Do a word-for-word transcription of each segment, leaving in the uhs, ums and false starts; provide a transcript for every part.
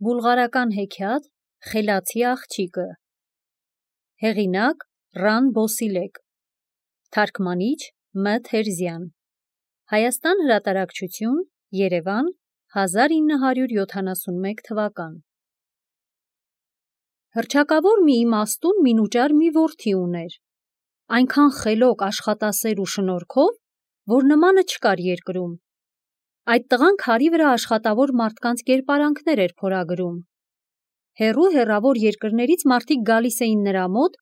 Բուլղարական հեքիաթ Խելացի աղջիկը։ Հեղինակ Ռան Բոսիլեկ։ Թարգմանիչ Մ Թերզյան։ Հայաստան հրատարակչություն, Երևան, հազար ինը հարյուր յոթանասունմեկ թվական։ Հռչակավոր մի իմաստուն մինուճար մի որդի ուներ, այնքան խելոք, աշխատասեր ու շնորհքով, որ նմանը չկար երկրում։ Այդ տղան քարի վրա աշխատավոր մարդկանց կերպարանքներ էր փորագրում։ Հեռու հեռավոր երկրներից մարդիկ գալիս էին նրա մոտ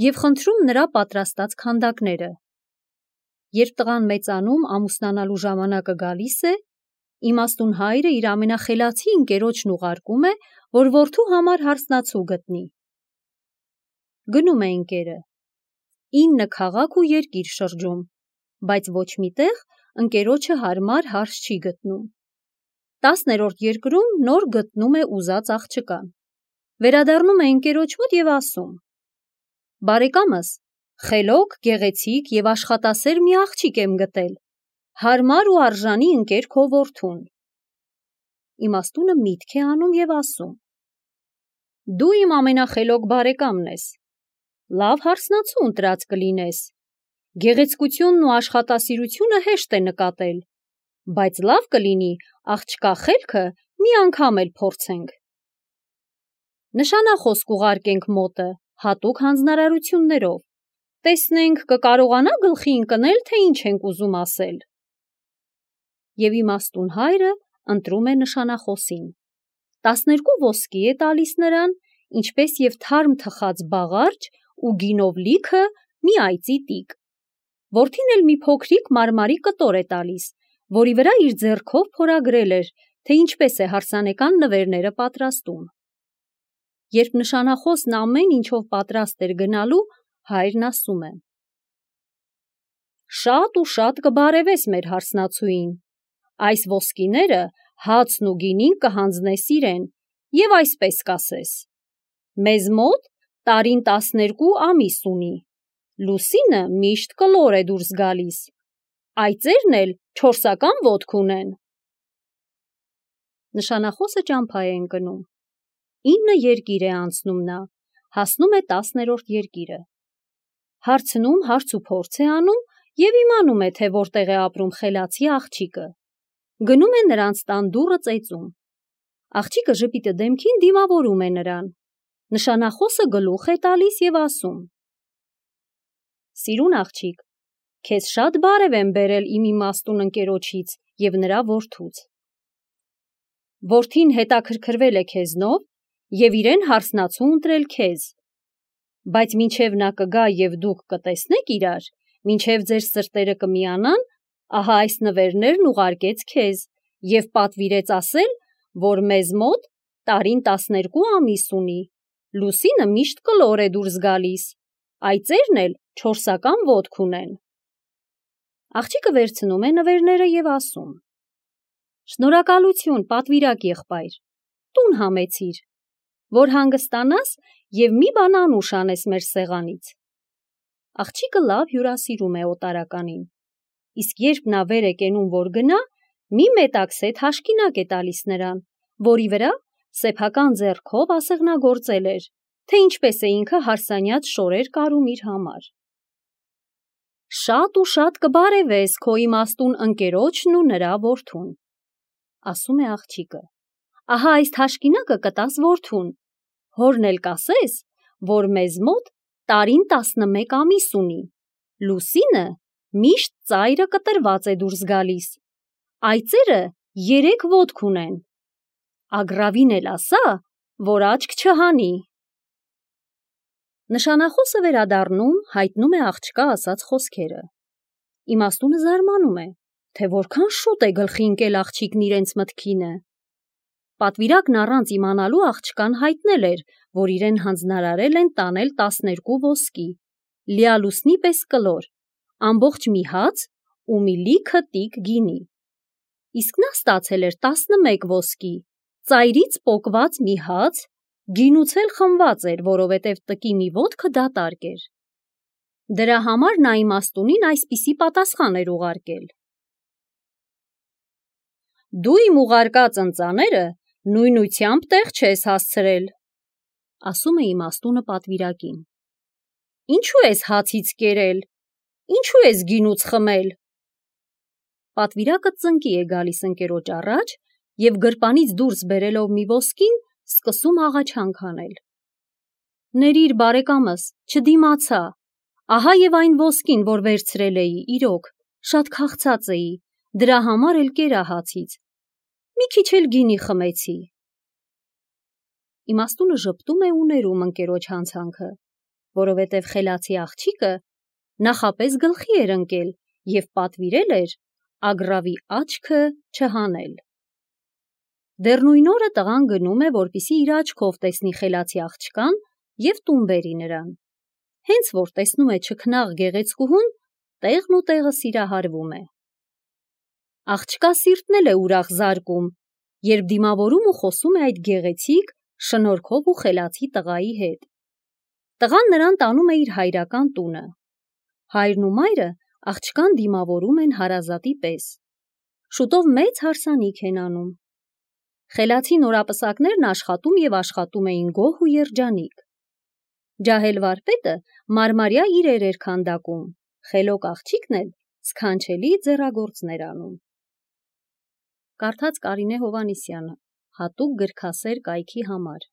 և խնդրում նրա պատրաստած քանդակները։ Երբ տղան մեծանում, ամուսնանալու ժամանակը գալիս է, իմաստուն հայրը իր ամենախելացի ընկերոջն ուղարկում է, որ որդու համար հարսնացու գտնի։ Գնում է ընկերը։ Ինը քաղաք ու երկիր շրջում, բայց ոչ մի տեղ ընկերոջը հարմար հարս չի գտնում։ Տասներորդ երկրում նոր գտնում է ուզած աղջկան։ Վերադառնում է ընկերոջ մոտ և ասում. «Բարեկամս, խելոք, գեղեցիկ և աշխատասեր մի աղջիկ եմ գտել, հարմար ու արժանի ընկեր քո որդուն»։ Իմաստունը միտք է անում և ասում. «Դու իմ ամենախելոք բարեկամն ես, լավ հարսնացու ընտրած կլինես, գեղեցկությունն ու աշխատասիրությունը հեշտ է նկատել, բայց լավ կլինի աղջկա խելքը մի անգամ էլ փորձենք։ Նշանախոս կուղարկենք մոտը, հատուկ հանձնարարություններով, տեսնենք կկարողանա գլխի ընկնել, թե ինչ ենք ուզում ասել»։ Եվ իմաստուն հայրը ընտրում է նշանախոսին։ Տասներկու ոսկի է տալիս նրան, ինչպես և թարմ թխած բաղարջ ու գինով լիքը մի այծի տիկ։ Որդին էլ մի փոքրիկ մարմարի կտոր է տալիս, որի վրա իր ձեռքով փորագրել էր, թե ինչպես է հարսանեկան նվերները պատրաստում։ Երբ նշանախոսն ամեն ինչով պատրաստ էր գնալու, հայրն ասում է. «Շատ ու շատ կբարևես մեր հարսնացուին, այս ոսկիները հացն ու գինին կհանձնես իրեն և այսպես կասես. մեզ մոտ տարին տասներկու ամիս ունի, լուսինը միշտ կլոր է դուրս գալիս, այծերն էլ չորսական ոտք ունեն»։ Նշանախոսը ճամփա է ընկնում։ Ինը երկիր է անցնում նա, հասնում է տասներորդ երկիրը։ Հարցնում, հարց ու փորձ է անում և իմանում է, թե որտեղ է ապրում խելացի աղջիկը։ Գնում է նրանց տան դուռը ծեծում։ Աղջիկը ժպիտը դեմքին դիմավորում է նրան։ Նշանախոսը գլուխ է տալիս և ասում. «Սիրուն աղջիկ, քեզ շատ բարև եմ բերել իմ իմաստուն ընկերոջից և նրա որդուց։ Որդին հետաքրքրվել է քեզնով և իրեն հարսնացու ընտրել քեզ, բայց մինչև նա կգա և դուք կտեսնեք իրար, մինչև ձեր սրտերը կմիանան, ահա այս նվերներն ուղարկեց քեզ և պատվիրեց ասել, որ մեզ մոտ տարին տասներկու ամիս ունի, լուսինը միշտ կլոր է դուրս գալիս, այծերն էլ չորսական ոտք ունեն»։ Աղջիկը վերցնում է նվերները և ասում. «Շնորհակալություն, պատվիրակ եղբայր, տուն համեցիր, որ հանգստանաս և մի բան անուշ անես մեր սեղանից»։ Աղջիկը լավ հյուրասիրում է օտարականին, իսկ երբ նա վեր է կենում, որ գնա, մի մետաքսե թաշկինակ է տալիս նրան, որի վրա սեփական ձեռքով ասեղնագործել էր, թե ինչպես է ինքը հարսանյաց շորեր կարում իր համար։ «Շատ ու շատ կբարևես քո իմաստուն ընկերոջն ու նրա որդուն», ասում է աղջիկը։ «Ահա այս թաշկինակը կտաս որդուն, հորն էլ կասես, որ մեզ մոտ տարին տասնմեկ ամիս ունի, լուսինը միշտ ծայրը կտրված է դուրս գալիս, այծերը երեք ոտք ունեն, ագռավին էլ ասա, որ աչք չհանի»։ Նշանախոսը վերադառնում, հայտնում է աղջկա ասած խոսքերը։ Իմաստունը զարմանում է, թե որքան շուտ է գլխի ընկել աղջիկն իրենց մտքինը։ Պատվիրակն առանց իմանալու աղջկան հայտնել էր, որ իրեն հանձնարարել են տանել տասներկու ոսկի, լիալուսնի պես կլոր, ամբողջ մի հաց ու մի լիքը տիկ գինի։ Իսկ նա ստացել էր տասնմեկ ոսկի, ծայրից պոկված մի հաց, գինուց էլ խմված էր, որովհետև տկի մի ոտքը դատարկ էր։ Դրա համար նա իմաստունին այսպիսի պատասխան էր ուղարկել. «Դու իմ ուղարկած ընծաները նույնությամբ տեղ չես հասցրել, ասում է իմաստունը պատվիրակին։ Ինչու ես հացից կերել, ինչու ես գինուց խմել։ Պատվիրակը ծնկի է գալիս ընկերոջ առաջ և գրպանից դուրս բերելով մի ոսկին, սկսում աղաչանք անել։ Ներիր բարեկամս, չդիմացա, ահա և այն ոսկին, որ վերցրել էի, իրոք, շատ քաղցած էի, դրա համար էլ կերա հացից, մի քիչ էլ գինի խմեցի։ Իմաստունը ժպտում է ու ներում ընկերոջ հանցանքը, որովհետև խելացի աղջիկը նախապես գլխի էր ընկել և պատվիրել էր ագռավի աչքը չհանել։ Դեռ նույն օրը տղան գնում է, որպեսզի իր աչքով տեսնի խելացի աղջկան և տուն բերի նրան։ Հենց որ տեսնում է չքնաղ գեղեցկուհուն, տեղն ու տեղը սիրահարվում է։ Աղջկա սիրտն էլ է ուրախ զարկում, երբ դիմավորում ու խոսում է այդ գեղեցիկ, շնորհքով ու խելացի տղայի հետ։ Տղան նրան տանում է իր հայրական տունը։ Հայրն ու մայրը աղջկան դիմավորում են հարազատի պես։ Շուտով մեծ հարսանիք են անում։ Խելացի նորապսակներն աշխատում և աշխատում էին գոհ ու երջանիկ։ Ջահել վարպետը մարմարյա իրեր էր քանդակում, խելոք աղջիկն էլ սքանչելի ձեռագործներ անում։ Կարդաց Կարինե Հովհաննիսյանը, հատուկ գրքասեր կայքի համար։